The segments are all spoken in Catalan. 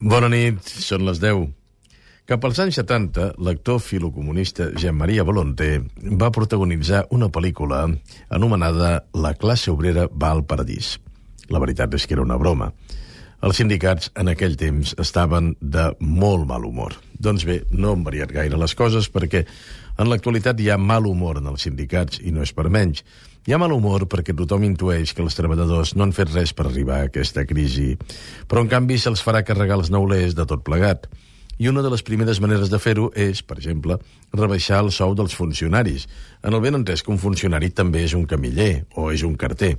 Bona nit, són les 10. Cap als anys 70, l'actor filocomunista Jean-Marie Volonté va protagonitzar una pel·lícula anomenada La classe obrera va al paradís. La veritat és que era una broma. Els sindicats en aquell temps estaven de molt mal humor. Doncs bé, no han variat gaire les coses perquè en l'actualitat hi ha mal humor en els sindicats i no és per menys. Hi ha mal humor perquè tothom intueix que els treballadors no han fet res per arribar a aquesta crisi, però en canvi se'ls farà carregar els neulers de tot plegat. I una de les primeres maneres de fer-ho és, per exemple, rebaixar el sou dels funcionaris, en el ben entès que un funcionari també és un camiller o és un carter.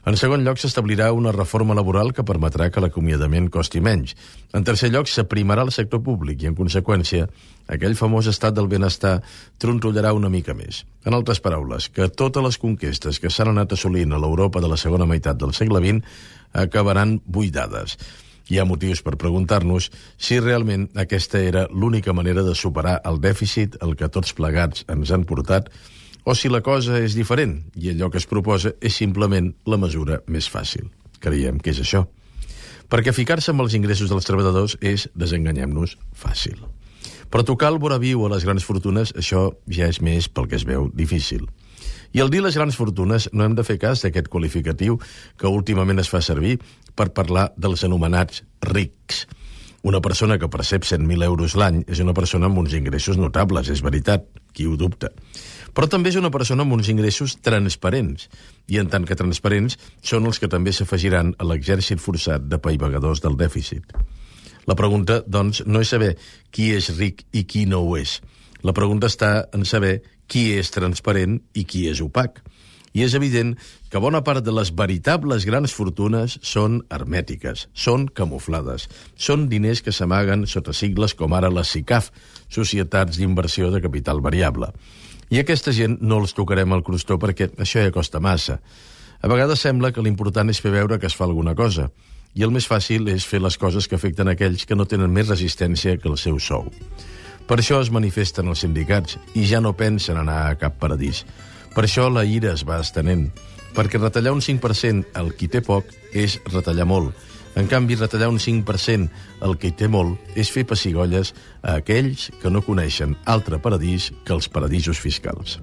En segon lloc, s'establirà una reforma laboral que permetrà que l'acomiadament costi menys. En tercer lloc, s'aprimarà el sector públic i, en conseqüència, aquell famós estat del benestar trontollarà una mica més. En altres paraules, que totes les conquestes que s'han anat assolint a l'Europa de la segona meitat del segle XX acabaran buidades. Hi ha motius per preguntar-nos si realment aquesta era l'única manera de superar el dèficit al que tots plegats ens han portat, o si la cosa és diferent i allò que es proposa és simplement la mesura més fàcil. Creiem que és això. Perquè ficar-se amb els ingressos dels treballadors és, desenganyem-nos, fàcil. Però tocar el vora viu a les grans fortunes, això ja és més pel que es veu difícil. I al dir les grans fortunes no hem de fer cas d'aquest qualificatiu que últimament es fa servir per parlar dels anomenats rics. Una persona que percep 100.000 euros l'any és una persona amb uns ingressos notables, és veritat, qui ho dubta. Però també és una persona amb uns ingressos transparents, i en tant que transparents són els que també s'afegiran a l'exèrcit forçat de paivagadors del dèficit. La pregunta, doncs, no és saber qui és ric i qui no ho és. La pregunta està en saber qui és transparent i qui és opac. I és evident que bona part de les veritables grans fortunes són hermètiques, són camuflades, són diners que s'amaguen sota sigles com ara les SICAF, Societats d'Inversió de Capital Variable. I aquesta gent no els tocarem al crostó perquè això ja costa massa. A vegades sembla que l'important és fer veure que es fa alguna cosa, i el més fàcil és fer les coses que afecten aquells que no tenen més resistència que el seu sou. Per això es manifesten els sindicats i ja no pensen anar a cap paradís. Per això la ira es va estenent, perquè retallar un 5% al qui té poc és retallar molt. En canvi, retallar un 5% al qui té molt és fer pessigolles a aquells que no coneixen altre paradís que els paradisos fiscals.